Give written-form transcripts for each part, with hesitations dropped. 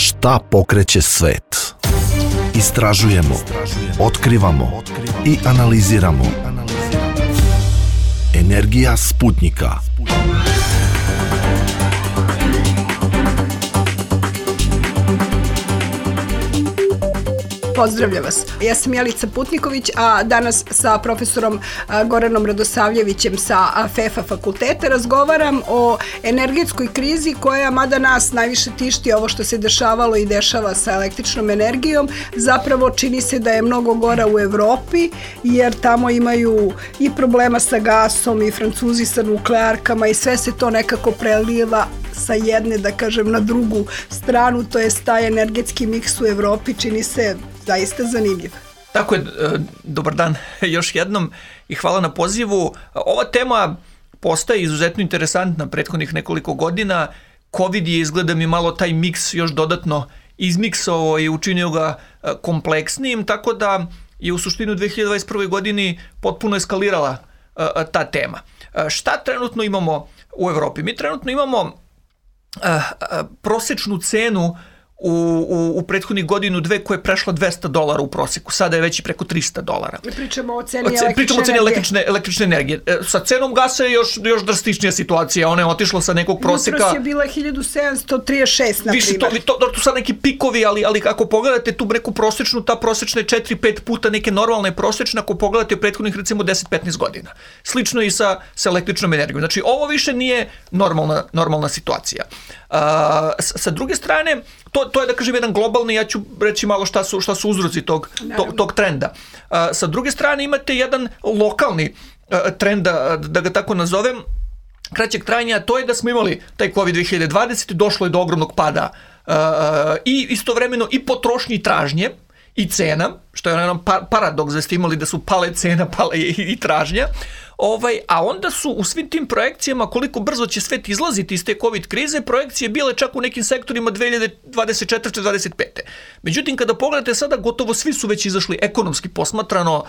Šta pokreće svet? Istražujemo, otkrivamo i analiziramo. Energija Sputnika. Pozdravljam vas. Ja sam Jelica Putniković, a danas sa profesorom Goranom Radosavljevićem sa FEFA fakulteta razgovaram o energetskoj krizi koja, mada nas najviše tišti ovo što se dešavalo i dešava sa električnom energijom, zapravo čini se da je mnogo gora u Evropi, jer tamo imaju i problema sa gasom i Francuzi sa nuklearkama i sve se to nekako preliva sa jedne, da kažem, na drugu stranu, to je taj energetski miks u Evropi, čini se zaista zanimljiv. Tako je, dobar dan još jednom i hvala na pozivu. Ova tema postaje izuzetno interesantna prethodnih nekoliko godina. COVID je, izgleda mi, malo taj miks još dodatno izmiksao i učinio ga kompleksnijim, tako da je u suštini u 2021. godini potpuno eskalirala ta tema. Šta trenutno imamo u Evropi? Mi trenutno imamo prosečnu cenu u prethodnih godinu dve koja je prešla $200 u proseku. Sada je već i preko $300. Pričamo o ceni električne energije. Sa cenom gasa je još drastičnija situacija. Ona je otišla sa nekog proseka. Jutros je bila 1736, na primjer. Tu sad neki pikovi, ali ako pogledate tu neku prosečnu, ta prosečna je 4-5 puta neke normalne prosečne, ako pogledate u prethodnih recimo 10-15 godina. Slično i sa električnom energijom. Znači, ovo više nije normalna situacija. Sa druge strane, to je, da kažem, jedan globalni, ja ću reći malo šta su uzroci tog trenda. Sa druge strane imate jedan lokalni trend, da ga tako nazovem, kraćeg trajanja, to je da smo imali taj COVID 2020, došlo je do ogromnog pada i istovremeno i potrošnje i tražnje i cena, što je jedan paradoks da ste imali da su pale cena, pale i tražnja. A onda su u svim tim projekcijama koliko brzo će svet izlaziti iz te COVID krize, projekcije bile čak u nekim sektorima 2024-2025. Međutim, kada pogledate sada, gotovo svi su već izašli ekonomski posmatrano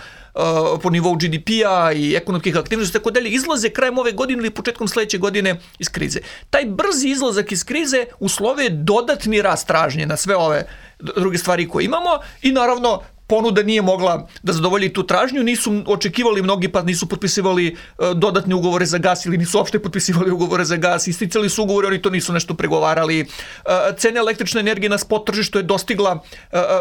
po nivou GDP-a i ekonomskih aktivnosti, tako dalje, izlaze krajem ove godine ili početkom sledeće godine iz krize. Taj brzi izlazak iz krize uslovio je dodatni rast tražnje na sve ove druge stvari koje imamo i naravno ponuda nije mogla da zadovolji tu tražnju, nisu očekivali mnogi, pa nisu potpisivali dodatne ugovore za gas ili nisu uopšte potpisivali ugovore za gas, isticali su ugovore, oni to nisu nešto pregovarali. Cena električne energije na spot tržištu je dostigla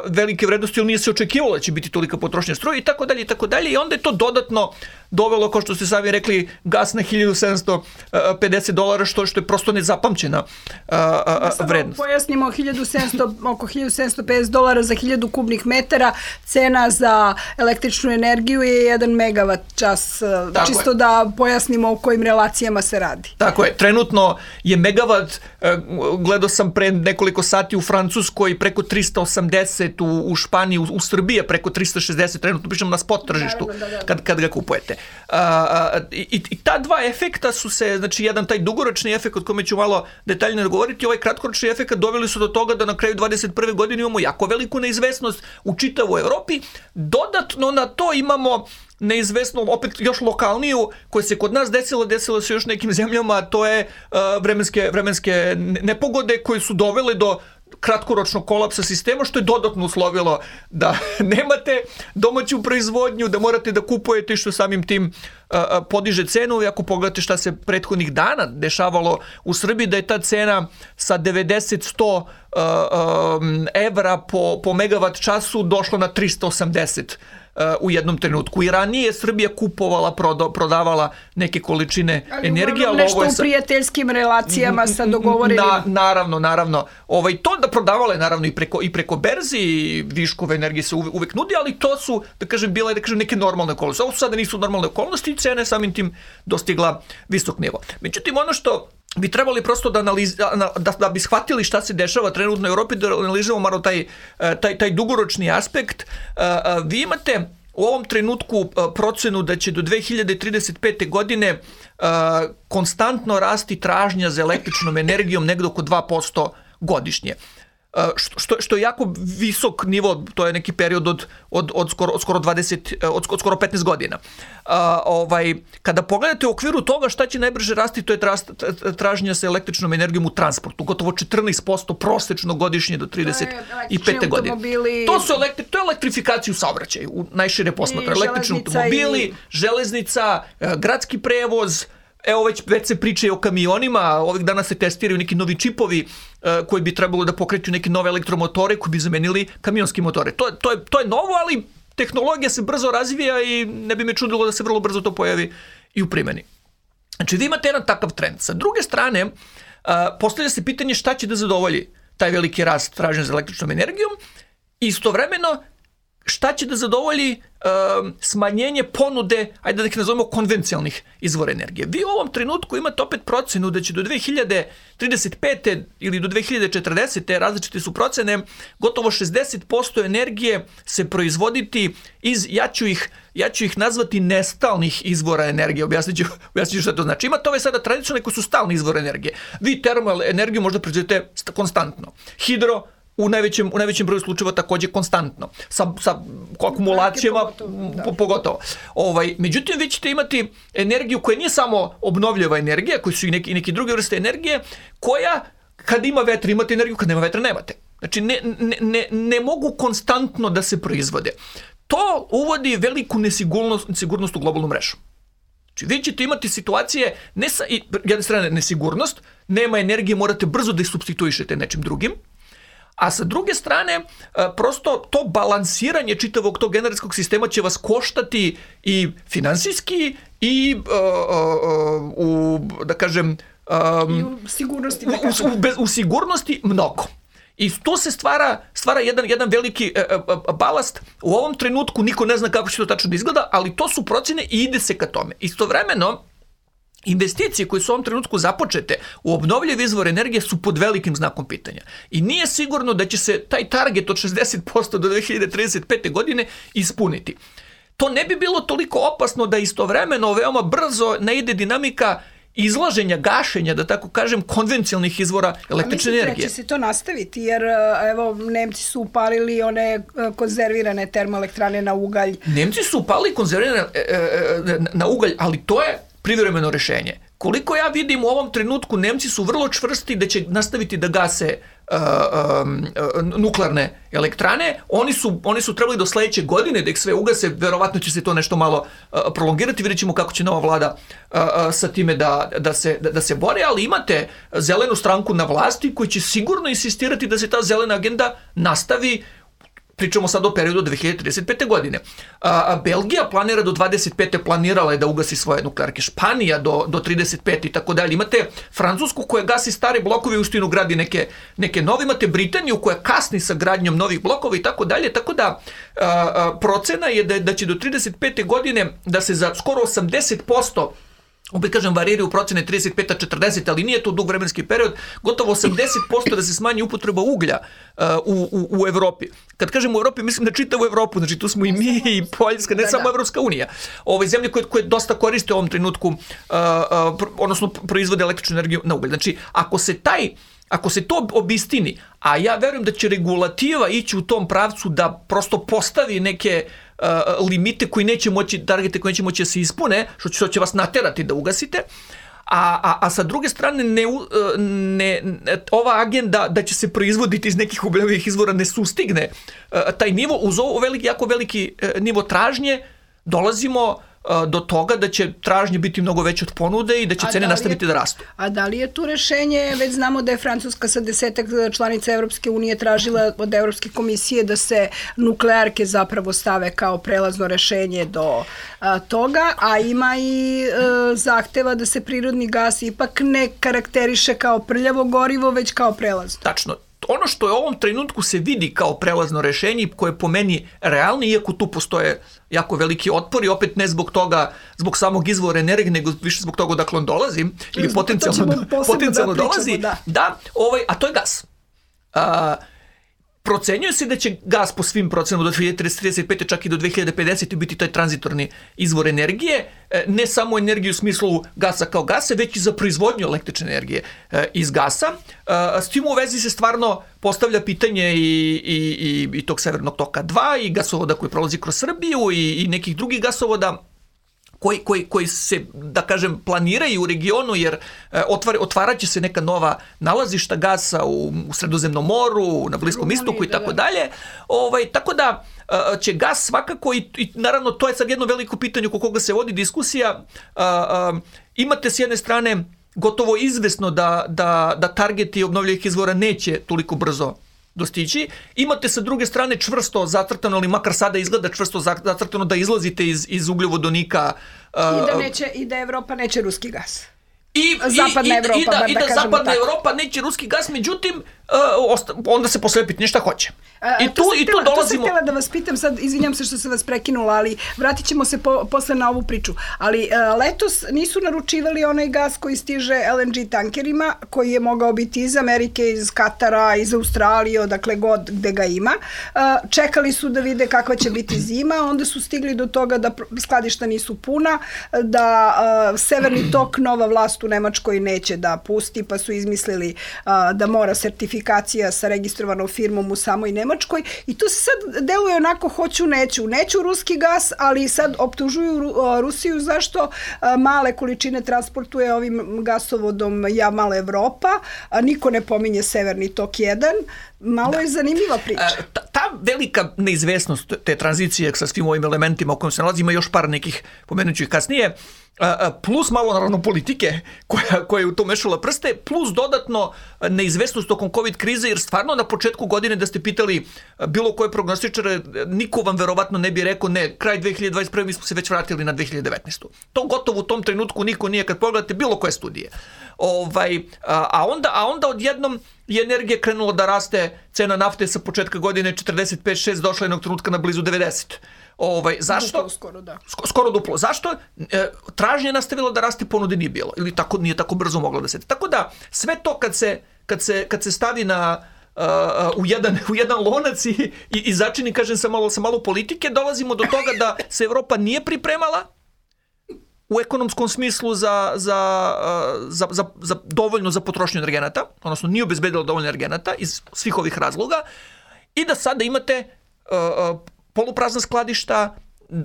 velike vrednosti, ali nije se očekivalo da će biti tolika potrošnja struje i tako dalje i onda je to dodatno dovelo, kao što ste sami rekli, gas na $1.750, što je prosto nezapamćena vrednost. Pojasnimo, oko $1.750 za 1000 kubnih metara, cena za električnu energiju je 1 megavat čas, čisto da pojasnimo o kojim relacijama se radi. Tako je, trenutno je megavat, gledao sam pre nekoliko sati u Francuskoj preko 380, u Španiji, u Srbiji je preko 360, trenutno pričamo na spot tržištu kad ga kupujete. I ta dva efekta su se, znači jedan taj dugoročni efekt od kome ću malo detaljnije govoriti, ovaj kratkoročni efekt doveli su do toga da na kraju 2021. godine imamo jako veliku neizvesnost u čitavoj Evropi. Dodatno na to imamo neizvesno, opet još lokalniju, koja se kod nas desila se još nekim zemljama, a to je vremenske nepogode koje su dovele do kratkoročnog kolapsa sistema, što je dodatno uslovilo da nemate domaću proizvodnju, da morate da kupujete, što samim tim podiže cenu. I ako pogledate šta se prethodnih dana dešavalo u Srbiji, da je ta cena sa 90-100 evra po megavat času došla na 380 u jednom trenutku. I ranije je Srbija kupovala, prodavala neke količine energije. Ali nešto u prijateljskim relacijama sa dogovorenim. Naravno. To da prodavala je naravno i preko berzi, i viškove energije se uvek nudi, ali to su, da kažem, bile neke normalne okolnosti. Ovo sada nisu normalne okolnosti i cena je samim tim dostigla visok nivo. Međutim, ono što bi trebali prosto da bi shvatili šta se dešava trenutno u Evropi, da analiziramo malo taj dugoročni aspekt. Vi imate u ovom trenutku procenu da će do 2035. godine konstantno rasti tražnja za električnom energijom negdje oko 2% godišnje. što je jako visok nivo, to je neki period od skoro 15 godina. Kada pogledate u okviru toga šta će najbrže rasti, to je traženje sa električnom energijom u transportu, gotovo 14% prosečno godišnje do 35. godine. To je elektrifikaciju saobraćaja u najšire posmatra. Električni automobili, železnica, gradski prevoz. Evo već se priča o kamionima, ovih dana se testiraju neki novi čipovi koji bi trebalo da pokreću neke nove elektromotore koji bi zamenili kamionski motore. To je novo, ali tehnologija se brzo razvija i ne bi me čudilo da se vrlo brzo to pojavi i u primjeni. Znači, vi imate jedan takav trend. Sa druge strane, postavlja se pitanje šta će da zadovolji taj veliki rast traženja za električnom energijom i istovremeno šta će da zadovolji smanjenje ponude, ajde da ih nazovemo konvencionalnih izvora energije. Vi u ovom trenutku imate opet procenu da će do 2035. ili do 2040. različite su procene, gotovo 60% energije se proizvoditi iz, ja ću ih nazvati nestalnih izvora energije. Objasnit ću šta to znači. Imate ove sada tradicionalne koji su stalni izvor energije. Vi termal energiju možda proizvodite konstantno. Hidro, u najvećem broju slučajeva također konstantno, sa akumulacijama pogotovo. Međutim, vi ćete imati energiju koja nije samo obnovljiva energija, koji su i neki druge vrste energije, koja kad ima vetra imate energiju, kad nema vetra nemate. Znači, ne mogu konstantno da se proizvode. To uvodi veliku nesigurnost u globalnu mrežu. Znači, vi ćete imati situacije, jedne strane nesigurnost, nema energije, morate brzo da ih supstituišete nečim drugim, a sa druge strane, prosto to balansiranje čitavog tog energetskog sistema će vas koštati i finansijski i da kažem i u sigurnosti, u sigurnosti mnogo. I tu se stvara jedan veliki balast. U ovom trenutku niko ne zna kako će to tačno da izgleda, ali to su procene i ide se ka tome. Istovremeno, investicije koje su u ovom trenutku započete u obnovljive izvore energije su pod velikim znakom pitanja. I nije sigurno da će se taj target od 60% do 2035. godine ispuniti. To ne bi bilo toliko opasno da istovremeno veoma brzo ne ide dinamika izlaženja, gašenja, da tako kažem, konvencionalnih izvora električne energije. Mislite da će se to nastaviti, jer evo, Nemci su upalili one konzervirane termoelektrane na ugalj. Nemci su upalili konzervirane na ugalj, ali to je privremeno rešenje. Koliko ja vidim u ovom trenutku, Nemci su vrlo čvrsti da će nastaviti da gase nuklearne elektrane. Oni su trebali do sledeće godine da ih sve ugase, verovatno će se to nešto malo prolongirati, vidjet ćemo kako će nova vlada sa time da se bore, ali imate zelenu stranku na vlasti koji će sigurno insistirati da se ta zelena agenda nastavi. Pričamo sad o periodu 2035. godine. Belgija planira do 25. planirala je da ugasi svoje nuklearke. Španija do 35. i tako dalje. Imate Francusku koja gasi stare blokove i uistinu gradi neke nove. Imate Britaniju koja kasni sa gradnjom novih blokova i tako dalje. Tako da procena je da će do 35. godine da se za skoro 80%, opet kažem, variraju procene 35-40, ali nije to dug vremenski period, gotovo 80% da se smanji upotreba uglja u Evropi. Kad kažem u Evropi, mislim na čitavu Evropu, znači tu smo i mi i Poljska, ne samo Evropska unija. Ove zemlje koje dosta koriste u ovom trenutku, odnosno proizvode električnu energiju na ugalj. Znači, ako se to obistini, a ja verujem da će regulativa ići u tom pravcu da prosto postavi neke limite targete koji neće moći da se ispune, što će vas naterati da ugasite, a sa druge strane ova agenda da će se proizvoditi iz nekih obnovljivih izvora ne sustigne taj nivo, uz ovo jako veliki nivo tražnje dolazimo do toga da će tražnje biti mnogo veće od ponude i da će cene nastaviti da rastu. A da li je tu rešenje, već znamo da je Francuska sa 10 članica Evropske unije tražila od Evropske komisije da se nuklearke zapravo stave kao prelazno rešenje do toga, a ima i zahteva da se prirodni gas ipak ne karakteriše kao prljavo gorivo, već kao prelazno. Tačno. Ono što je u ovom trenutku se vidi kao prelazno rešenje, koje je po meni realno, iako tu postoje jako veliki otpori, opet ne zbog toga, zbog samog izvora energije, nego više zbog toga odakle on dolazi, ili potencijalno dolazi, a to je gas. procenjuje se da će gas po svim procenama do 2035. čak i do 2050. biti taj tranzitorni izvor energije, ne samo energiju u smislu gasa kao gasa, već i za proizvodnju električne energije iz gasa. S tim u vezi se stvarno postavlja pitanje i tog Severnog toka 2 i gasovoda koji prolazi kroz Srbiju i nekih drugih gasovoda koji se, da kažem, planiraju u regionu, jer otvarat će se neka nova nalazišta gasa u Sredozemnom moru, na Bliskom istoku i tako dalje. Tako da će gas svakako, i naravno to je sad jedno veliko pitanje oko koga se vodi diskusija, imate s jedne strane gotovo izvesno da targeti obnovljivih izvora neće toliko brzo dostići. Imate sa druge strane čvrsto zacrtano, ali makar sada izgleda čvrsto zacrtano da izlazite iz ugljovodonika. I da Evropa neće ruski gas. I da zapadna Evropa neće ruski gas, međutim, onda se posle pitanje šta hoće. Tu dolazimo... To sam htjela da vas pitam, sad izvinjam se što sam vas prekinula, ali vratit ćemo se posle na ovu priču. Ali letos nisu naručivali onaj gas koji stiže LNG tankerima, koji je mogao biti iz Amerike, iz Katara, iz Australije, odakle god gde ga ima. Čekali su da vide kakva će biti zima, onda su stigli do toga da skladišta nisu puna, da Severni tok nova vlast u Nemačkoj neće da pusti, pa su izmislili da mora sertifikacija sa registrovanom firmom u samoj Nemačkoj, i to se sad deluje onako hoću, neću ruski gas, ali sad optužuju Rusiju zašto male količine transportuje ovim gasovodom Mala Evropa, a niko ne pominje Severni tok 1. Malo je zanimljiva priča. Ta velika neizvesnost te tranzicije sa svim ovim elementima u kojim se nalazi, ima još par nekih, pomenuću ih kasnije, plus malo naravno politike koja je u to mešala prste, plus dodatno neizvesnost tokom COVID krize, jer stvarno na početku godine da ste pitali bilo koje prognostičare, niko vam verovatno ne bi rekao ne, kraj 2021. mi smo se već vratili na 2019. To gotovo u tom trenutku niko nije, kad pogledate bilo koje studije. A onda odjednom je energija krenula da raste, cena nafte sa početka godine 45-6 došla jednog trenutka na blizu 90. Zašto? Skoro duplo. Zašto? Tražnje je nastavila da raste, ponude nije bilo. Ili nije tako brzo mogla da se... Tako da, sve to kad se stavi u jedan lonac i začini, kažem, sa malo politike, dolazimo do toga da se Evropa nije pripremala u ekonomskom smislu dovoljno za potrošnju energenata, odnosno nije obezbedila dovoljno energenata iz svih ovih razloga, i da sada imate poluprazna skladišta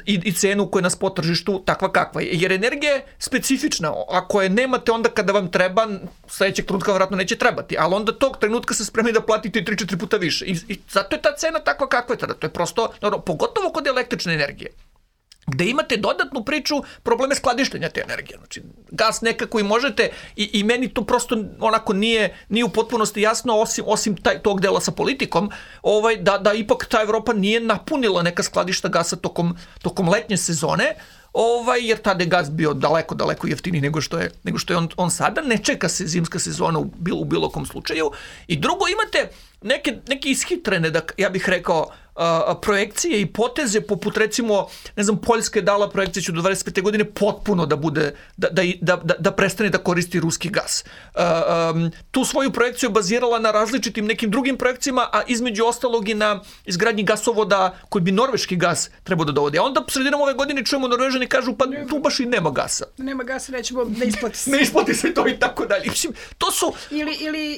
i cenu koja je na spot tržištu takva kakva je. Jer energija je specifična. Ako je nemate onda kada vam treba, sledećeg trenutka vjerojatno neće trebati, ali onda tog trenutka se spremni da platite 3-4 puta više. I zato je ta cena takva kakva je tada. To je prosto, pogotovo kod električne energije, gde imate dodatnu priču probleme skladištenja te energije. Znači, gas nekako i možete, i meni to prosto onako nije u potpunosti jasno, osim tog dela sa politikom, da ipak ta Evropa nije napunila neka skladišta gasa tokom letnje sezone, jer tada je gas bio daleko jeftiniji nego što je on sada. Ne čeka se zimska sezona u bilo kom slučaju. I drugo, imate neke ishitrene, ja bih rekao, projekcije i poteze, poput recimo, ne znam, Poljska je dala projekciju do 25. godine potpuno da bude, da prestane da koristi ruski gas. Tu svoju projekciju bazirala na različitim nekim drugim projekcijama, a između ostalog i na izgradnji gasovoda koji bi norveški gas trebao da dovodi. A onda sredinom ove godine čujemo Norvežani kažu, pa tu baš i nema gasa. Nema gasa, nećemo da isplati se. Ne isplati se to i tako dalje. To su...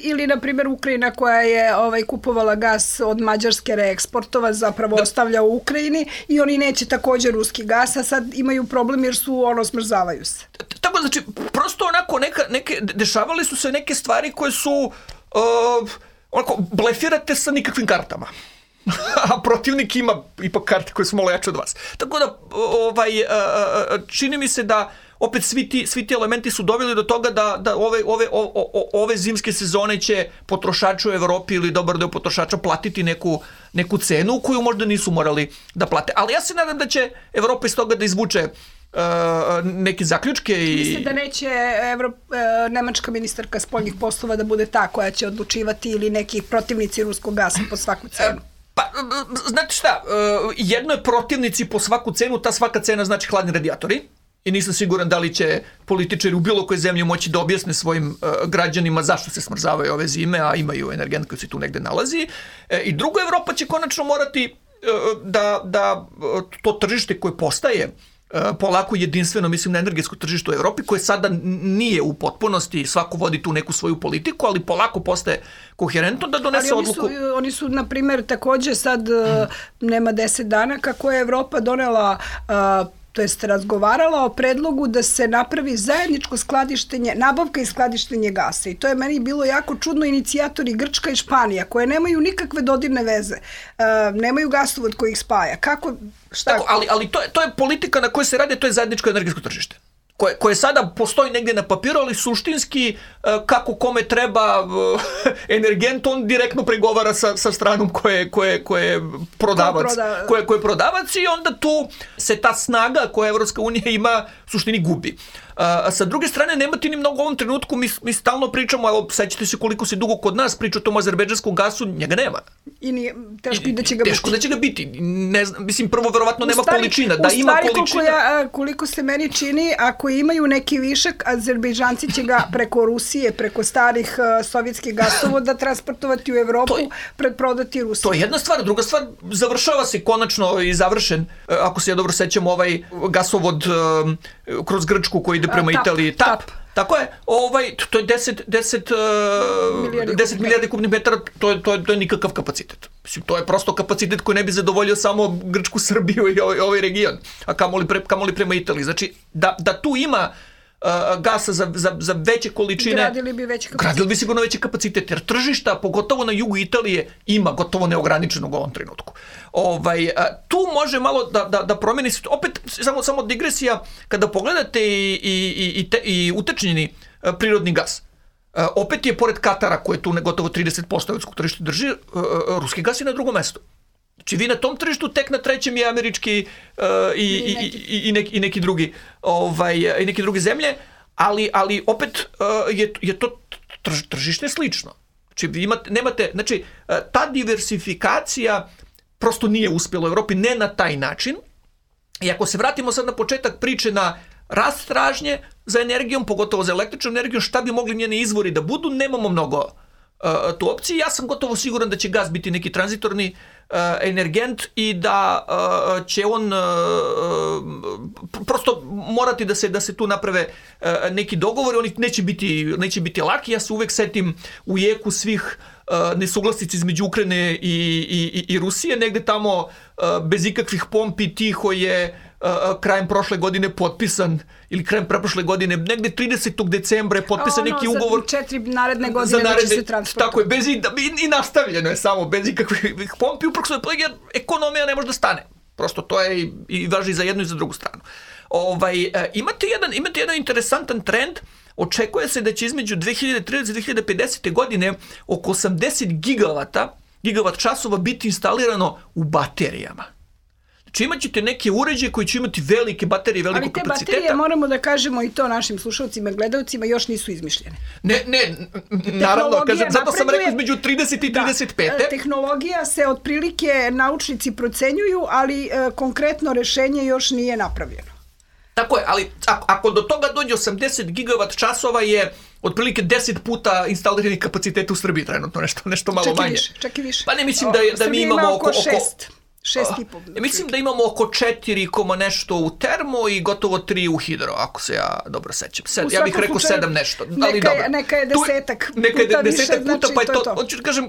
Ili na primjer, Ukrajina koja je kupovala gas od Mađarske, reeksportova, zapravo ostavlja u Ukrajini, i oni neće također ruski gas, a sad imaju problem jer su smrzavaju se. Tako, znači, prosto onako dešavali su se neke stvari koje su blefirate sa nikakvim kartama. A protivnik ima ipak karte koje su malo jače od vas. Tako da, čini mi se da opet svi ti elementi su doveli do toga da ove zimske sezone će potrošači u Evropi ili dobar deo potrošača platiti neku cenu koju možda nisu morali da plate. Ali ja se nadam da će Evropa iz toga da izvuče neke zaključke. Mislim da neće nemačka ministarka spoljnih poslova da bude ta koja će odlučivati, ili neki protivnici ruskog gasa po svaku cenu? Pa, znate šta, jedno je protivnici po svaku cenu, ta svaka cena znači hladni radijatori. i nisam siguran da li će političari u bilo kojoj zemlji moći da objasne svojim građanima zašto se smrzavaju ove zime, a imaju energent koji se tu negde nalazi. I drugo, Evropa će konačno morati da to tržište koje postaje polako jedinstveno, mislim na energetsko tržište u Evropi, koje sada nije u potpunosti, svako vodi tu neku svoju politiku, ali polako postaje koherentno da donese odluku. Oni su, na primjer, takođe sad nema 10 dana kako je Evropa donela to jest razgovarala o predlogu da se napravi zajedničko skladištenje, nabavka i skladištenje gasa. I to je meni bilo jako čudno. Inicijatori Grčka i Španija, koje nemaju nikakve dodirne veze, nemaju gasovod koji ih spaja. Kako, šta? Tako, ali to je politika na kojoj se radi, to je zajedničko energetsko tržište. Koje sada postoji negdje na papiru, ali suštinski kako kome treba energent, on direktno pregovara sa stranom koje je prodavac i onda tu se ta snaga koja Evropska unija ima u suštini gubi. Sa druge strane, nema ti ni mnogo u ovom trenutku, mi stalno pričamo, evo, sećate se koliko se dugo kod nas priča o tom azerbejdžanskom gasu, njega nema. I nije, teško da će ga biti. Teško da će ga biti. Ne znam, mislim, prvo, verovatno nema količina. Da ima količina. Koliko se meni čini, ako imaju neki višak, Azerbejdžanci će ga preko Rusije, preko starih sovjetskih gasovoda transportovati u Evropu, predprodati Rusiji. To je jedna stvar. Druga stvar, završava se konačno i završen, ako se ja dobro sećam, ovaj gasovod kroz Grčku koji ide prema Italiji, TAP. Tako je, to je 10 milijardi kubnih metara, to je nikakav kapacitet. Mislim, to je prosto kapacitet koji ne bi zadovoljio samo Grčku, Srbiju i ovaj region, a kamoli prema Italiji. Znači, da tu ima gasa za veće količine, gradili bi sigurno veće kapacitete, jer tržišta, pogotovo na jugu Italije, ima gotovo neograničenog u ovom trenutku. Tu može malo da promeni, opet samo digresija, kada pogledate i utečnjeni prirodni gas, opet je pored Katara, koje tu gotovo 30% evropskog tržišta drži, ruski gas je na drugom mestu. Znači vi na tom tržištu tek na trećem je američki i neki drugi i neke druge zemlje, ali opet je to tržište slično. Znači vi nemate, znači ta diversifikacija prosto nije uspjela u Evropi, ne na taj način. I ako se vratimo sad na početak priče na rast tražnje za energijom, pogotovo za električnom energijom, šta bi mogli njeni izvori da budu, nemamo mnogo tu opciju. Ja sam gotovo siguran da će gas biti neki tranzitorni energent i da će on prosto morati da se tu naprave neki dogovori. Oni neće biti laki. Ja se uvek setim u jeku svih nesuglasica između Ukrajine i Rusije. Negde tamo bez ikakvih pompi tiho je krajem prošle godine potpisan, ili krajem preprošle godine, negde 30. decembra je potpisan neki ugovor. Za 4 naredne godine da će se transportovati. Tako je, i nastavljeno je samo, bez ikakvih pompi, upravo jer ekonomija ne može da stane. Prosto to je i važi za jednu i za drugu stranu. Imate jedan interesantan trend. Očekuje se da će između 2030 i 2050. godine oko 80 gigavat časova biti instalirano u baterijama. Znači imat ćete neke uređaje koji će imati velike baterije, veliko kapaciteta. Ali te baterije, moramo da kažemo i to našim slušalcima, gledalcima, još nisu izmišljene. Ne, naravno, zato sam rekao između 30 i 35. Tehnologija se otprilike naučnici procenjuju, ali konkretno rešenje još nije napravljeno. Tako je, ali ako do toga dođe 80 gigavat časova je otprilike 10 puta instaliranih kapaciteta u Srbiji trenutno, nešto malo manje. Čak i više. Pa ne, mislim da mi imamo oko 6,5. Mislim da imamo oko 4 nešto u termo i gotovo 3 u hidro, ako se ja dobro sećam. Ja bih rekao 7 nešto. Neka je desetak puta, pa je to. Hoću da kažem,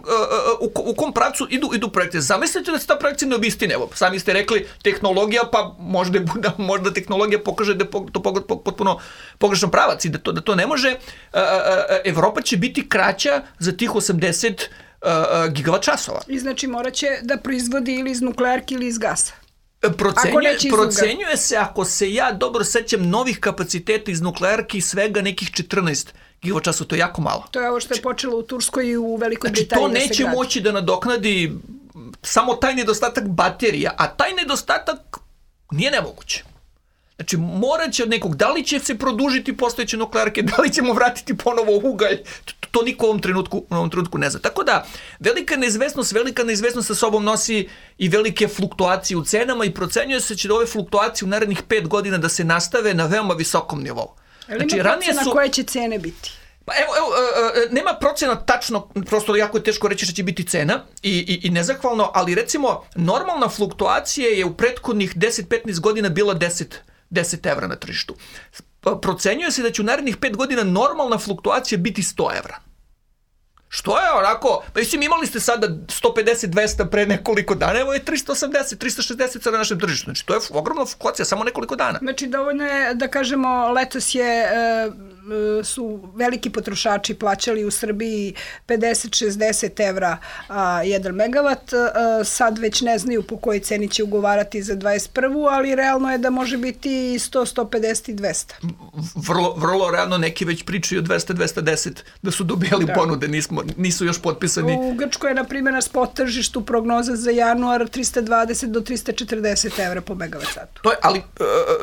u kom pravcu idu projekte. Zamislite da se ta projekcija ne obistine. Evo, sami ste rekli tehnologija, pa možda tehnologija pokaže da je to potpuno pogrešan pravac i da to ne može. Evropa će biti kraća za tih 80 gigavat časova. I znači morat će da proizvodi ili iz nuklearki ili iz gasa. Procenjuje se, ako se ja dobro sećam, novih kapaciteta iz nuklearki svega nekih 14 gigavat časova, to je jako malo. To je ovo što je počelo u Turskoj i u Velikoj Britaniji. Znači to neće moći da nadoknadi samo taj nedostatak baterija, a taj nedostatak nije nemoguće. Znači, morat će od nekog, da li će se produžiti postojeće nuklearke, da li ćemo vratiti ponovo ugalj, to niko u ovom trenutku ne zna. Tako da, velika neizvesnost sa sobom nosi i velike fluktuacije u cenama i procenjuje se da ove fluktuacije u narednih 5 godina da se nastave na veoma visokom nivou. Znači, ima procena koje će cene biti? Pa evo, nema procena tačno, prosto jako je teško reći što će biti cena i nezahvalno, ali recimo normalna fluktuacija je u prethodnih 10-15 godina bila 10 evra na tržištu. Procenjuje se da će u narednih 5 godina normalna fluktuacija biti 100 evra. Što je onako, pa mislim imali ste sada 150-200 pre nekoliko dana, evo je 380-360 sada na našem tržištu. Znači to je ogromna fluktuacija, samo nekoliko dana. Znači dovoljno je da kažemo letos su veliki potrošači plaćali u Srbiji 50-60 evra 1 megavat, sad već ne znaju po kojoj ceni će ugovarati za 21. ali realno je da može biti 100, 150 i 200. Vrlo realno neki već pričaju o 200-210 da su dobijali ponude, nisu još potpisani. U Grčkoj je na primjer na spot tržištu prognoza za januar 320 do 340 evra po megavat satu. Ali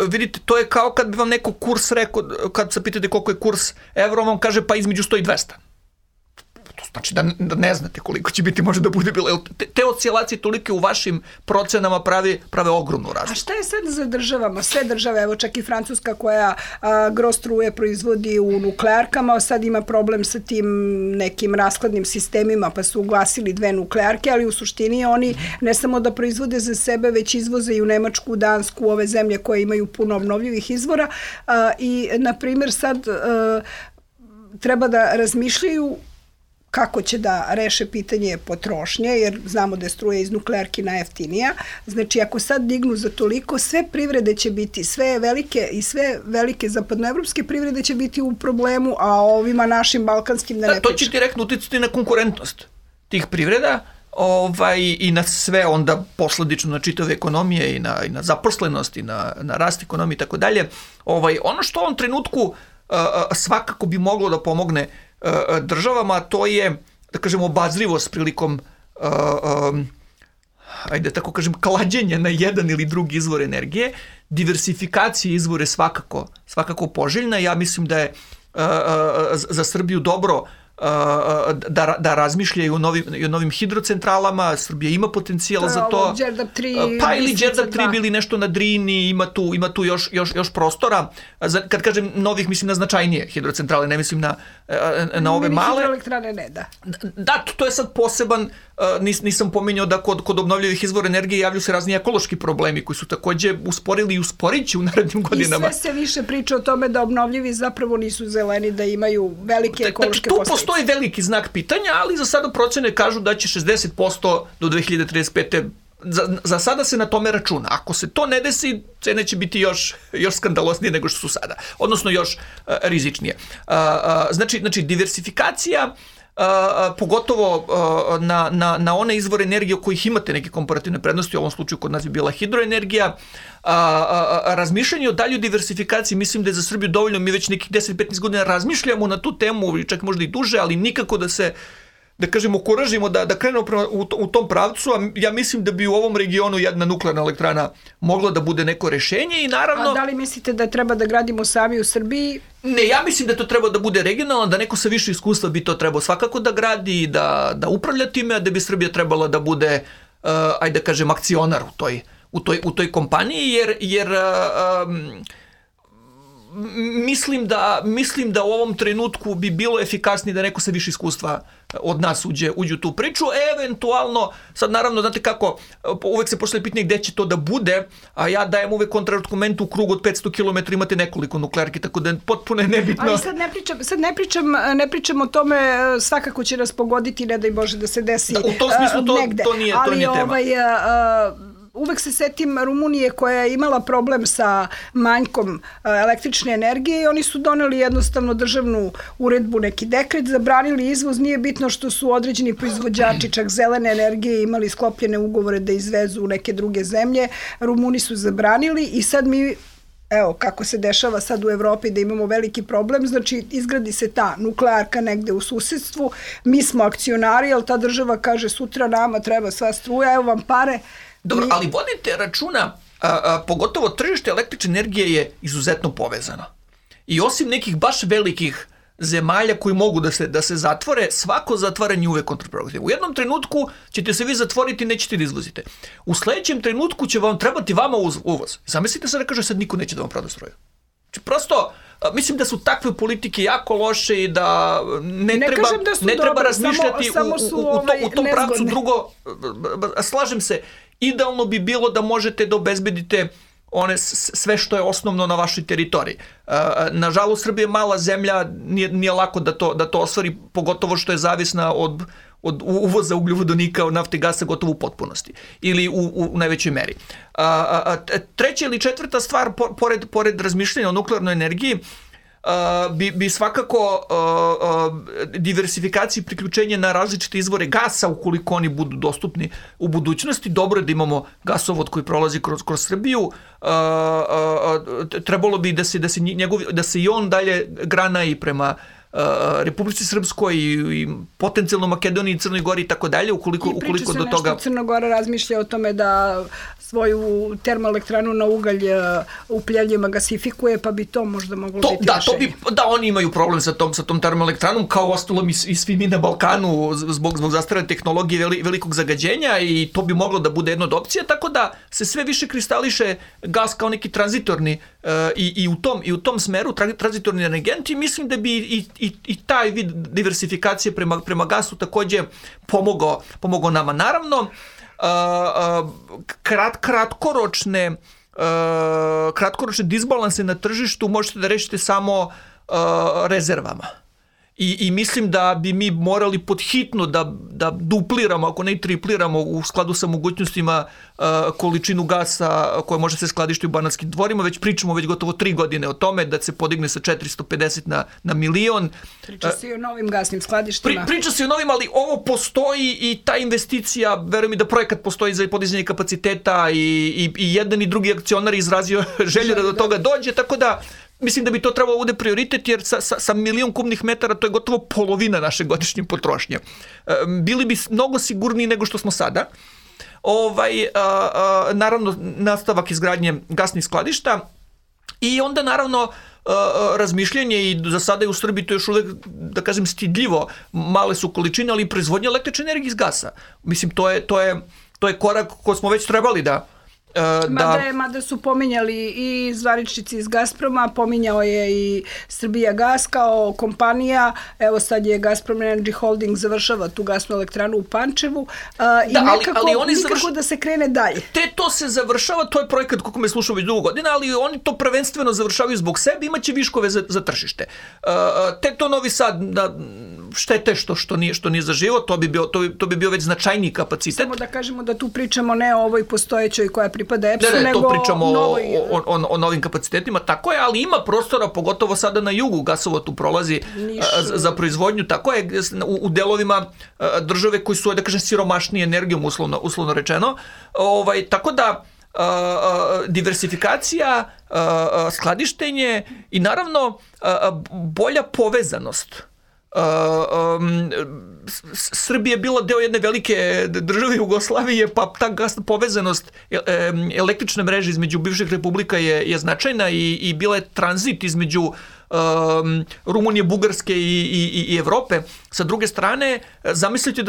vidite, to je kao kad bi vam neko kurs rekao, kad se pitate koliko je kurs evro, vam kaže pa između 100 i 200. To znači da ne znate koliko će biti, može da bude bilo. Te oscilacije tolike u vašim procenama prave ogromnu razliku. A šta je sad za državama? Sve države, evo čak i Francuska koja gro struje proizvodi u nuklearkama, sad ima problem sa tim nekim raskladnim sistemima, pa su ugasili 2 nuklearke, ali u suštini oni ne samo da proizvode za sebe, već izvoze i u Nemačku, Dansku, ove zemlje koje imaju puno obnovljivih izvora i, na primjer, sad treba da razmišljaju kako će da reše pitanje potrošnje, jer znamo da je struja iz nuklearki najjeftinija. Znači, ako sad dignu za toliko, sve privrede će biti, sve velike zapadnoevropske privrede će biti u problemu, a ovima našim balkanskim da ne pričam. To će direktno uticati na konkurentnost tih privreda i na sve onda posledično na čitave ekonomije i na zaposlenost i na rast ekonomije i tako dalje. Ono što u ovom trenutku svakako bi moglo da pomogne državama, to je, da kažemo, obazrivost prilikom ajde tako kažem, klađenja na jedan ili drugi izvor energije. Diversifikacija izvora je svakako poželjna. Ja mislim da je za Srbiju dobro da razmišljaju o novim hidrocentralama. Srbija ima potencijal za to. Đerdap 3, pa ili Đerdap 3 ili nešto na Drini, ima tu još prostora. Kad kažem novih, mislim na značajnije hidrocentrale, ne mislim na ove male. Hidroelektrane ne, da. Da, to je sad poseban, nisam pominjao da kod obnovljivih izvora energije javljaju se razni ekološki problemi koji su takođe usporili i usporit će u narednim godinama. I sve se više priča o tome da obnovljivi zapravo nisu zeleni, da imaju velike ekološke posledice. Postoji veliki znak pitanja, ali za sada procene kažu da će 60% do 2035. Za sada se na tome računa. Ako se to ne desi, cene će biti još skandalosnije nego što su sada. Odnosno još rizičnije. Znači, diversifikacija, pogotovo na one izvore energije o kojih imate neke komparativne prednosti, u ovom slučaju kod nas je bila hidroenergija, razmišljanje o daljoj diversifikaciji, mislim da je za Srbiju dovoljno, mi već nekih 10-15 godina razmišljamo na tu temu, čak možda i duže, ali nikako da se, da kažemo, okuražimo da krenemo u tom pravcu, a ja mislim da bi u ovom regionu jedna nuklearna elektrana mogla da bude neko rešenje i naravno... A da li mislite da treba da gradimo sami u Srbiji? Ne, ja mislim da to treba da bude regionalno, da neko sa više iskustva bi to trebao svakako da gradi i da upravlja time, a da bi Srbija trebala da bude, ajde da kažem, akcionar u toj kompaniji, jer mislim da u ovom trenutku bi bilo efikasnije da neko sa više iskustva od nas uđe u tu priču. Eventualno, sad naravno, znate kako, uvek se postavlja pitanje gde će to da bude, a ja dajem uvek kontraargument, u krugu od 500 km imate nekoliko nuklearki, tako da potpuno je nebitno. Ali sad ne pričam o tome, svakako će nas pogoditi, ne daj Bože da se desi negde. U tom smislu to nije tema. Uvek se setim Rumunije koja je imala problem sa manjkom električne energije i oni su doneli jednostavno državnu uredbu, neki dekret, zabranili izvoz, nije bitno što su određeni proizvođači čak zelene energije imali sklopljene ugovore da izvezu u neke druge zemlje, Rumuni su zabranili i sad mi, evo kako se dešava sad u Evropi da imamo veliki problem, znači izgradi se ta nuklearka negde u susedstvu, mi smo akcionari, ali ta država kaže sutra nama treba sva struja, evo vam pare. Dobro, ali vodite računa pogotovo tržište električne energije je izuzetno povezano. I osim nekih baš velikih zemalja koji mogu da se zatvore, svako zatvaranje uvek kontraproduktivno. U jednom trenutku ćete se vi zatvoriti i nećete da izvozite. U sledećem trenutku će vam trebati vama uvoz. Zamislite sad da kaže sad niko neće da vam proda struju. Znači prosto, mislim da su takve politike jako loše i da ne treba razmišljati u tom pravcu. Drugo, slažem se, idealno bi bilo da možete da obezbedite sve što je osnovno na vašoj teritoriji. Nažalost, Srbija je mala zemlja, nije lako da to ostvari, pogotovo što je zavisna od uvoza ugljovodonika, od nafte i gasa gotovo u potpunosti ili u najvećoj meri. Treća ili četvrta stvar, pored razmišljanja o nuklearnoj energiji, bi svakako diversifikaciji priključenja na različite izvore gasa ukoliko oni budu dostupni u budućnosti. Dobro je da imamo gasovod koji prolazi kroz Srbiju. Trebalo bi da se i on dalje grana i prema Republici Srpskoj i potencijalno Makedoniji i Crnoj Gori i tako dalje, ukoliko do toga... I priča se nešto, Crna Gora razmišlja o tome da svoju termoelektranu na ugalj u Pljeljima gasifikuje, pa bi to možda moglo biti rešenje. Da, oni imaju problem sa tom termoelektranom, kao ostalom i svi mi na Balkanu zbog zastarele tehnologije velikog zagađenja, i to bi moglo da bude jedna od opcija, tako da se sve više kristališe gas kao neki tranzitorni i u tom smeru tranzitorni energent, i mislim da bi i taj vid diversifikacije prema gasu takođe pomogao nama. Naravno, kratkoročne disbalanse na tržištu možete da rešite samo rezervama. I mislim da bi mi morali podhitno da dupliramo, ako ne i tripliramo u skladu sa mogućnostima količinu gasa koja može se skladišti u Banatskim dvorima. Već pričamo gotovo 3 godine o tome da se podigne sa 450 na milion. Priča se i o novim gasnim skladištima. Priča se i o novim, ali ovo postoji i ta investicija, verujem mi da projekat postoji za podizanje kapaciteta i jedan i drugi akcionar izrazio želju da do toga dođe, tako da mislim da bi to trebalo bude prioritet, jer sa milion kubnih metara to je gotovo polovina naše godišnje potrošnje. Bili bi mnogo sigurniji nego što smo sada. Naravno, nastavak izgradnje gasnih skladišta i onda naravno razmišljanje, i za sada je u Srbiji to još uvek, da kažem, stidljivo, male su količine, ali proizvodnja električne energije iz gasa. Mislim, to je korak koji smo već trebali da Mada su pominjali i zvaničnici iz Gazproma, pominjao je i Srbijagas kao kompanija, evo sad je Gazprom Energy Holding završava tu gasnu elektranu u Pančevu i nikako da se krene dalje. To se završava, to je projekat kako me slušao već dugo godina, ali oni to prvenstveno završavaju zbog sebe, imaće viškove za tržište. To Novi Sad, štete što nije zaživo, to bi bio već značajniji kapacitet. Samo da kažemo da tu pričamo ne o ovoj postojećoj koja pripada EPS-u, nego to pričamo o novim kapacitetima, tako je, ali ima prostora, pogotovo sada na jugu, gasovod tu prolazi za proizvodnju, tako je, u delovima države koji su, da kažem, siromašniji energijom, uslovno rečeno, tako da diversifikacija, skladištenje i naravno bolja povezanost. Srbija je bila deo jedne velike države Jugoslavije, pa ta gasna povezanost električne mreže između bivših republika je značajna i bila je tranzit između Rumunije, Bugarske i Evrope. Sa druge strane, zamislite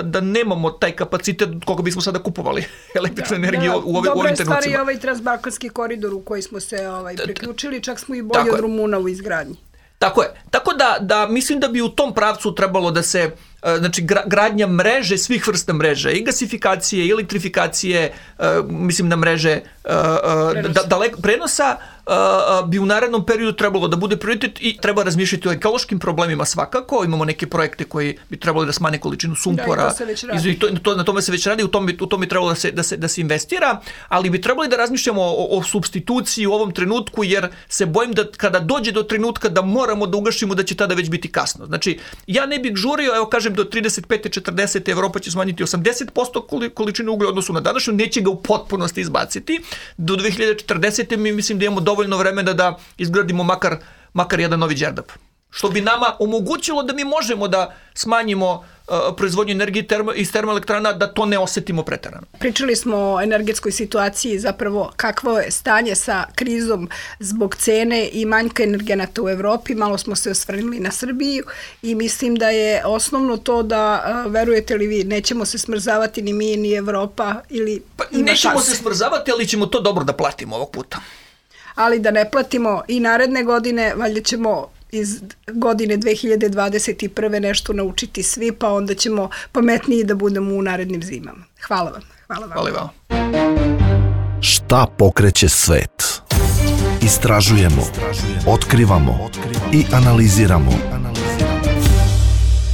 da nemamo taj kapacitet koliko bismo sada kupovali električnu energiju u ovim trenucima. Dobro je stvari ovaj transbalkanski koridor u koji smo se priključili, čak smo i bolji od Rumuna u izgradnji. Tako je. Tako da mislim da bi u tom pravcu trebalo da se, znači, gradnja mreže, svih vrsta mreže, i gasifikacije, i elektrifikacije, mislim na mreže prenosa, bi u narednom periodu trebalo da bude prioritet i treba razmišljati o ekološkim problemima svakako. Imamo neke projekte koji bi trebalo da smanje količinu sumpora. Na tome se već radi, u tom bi trebalo da se investira, ali bi trebali da razmišljamo o supstituciji u ovom trenutku, jer se bojim da kada dođe do trenutka da moramo da ugašimo, da će tada već biti kasno. Znači, ja ne bih žurio, evo kažem, do 35. 40. Evropa će smanjiti 80% količine uglja odnosu na današnju, neće ga u potpunosti izbaciti. Do 2040. mi mislim da imamo dovoljno vremena da izgradimo makar jedan novi Đerdap. što bi nama omogućilo da mi možemo da smanjimo proizvodnju energije iz termoelektrana, da to ne osetimo preterano. Pričali smo o energetskoj situaciji, zapravo kakvo je stanje sa krizom zbog cene i manjka energenata u Evropi. Malo smo se osvrnuli na Srbiju i mislim da je osnovno to da, verujete li vi, nećemo se smrzavati ni mi, ni Evropa ili nećemo se smrzavati, ali ćemo to dobro da platimo ovog puta. Ali da ne platimo i naredne godine, valjda ćemo iz godine 2021. nešto naučiti svi, pa onda ćemo pametniji da budemo u narednim zimama. Hvala vam. Hvala vam. Šta pokreće svet? Istražujemo, otkrivamo i analiziramo.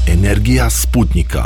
Energija Sputnika.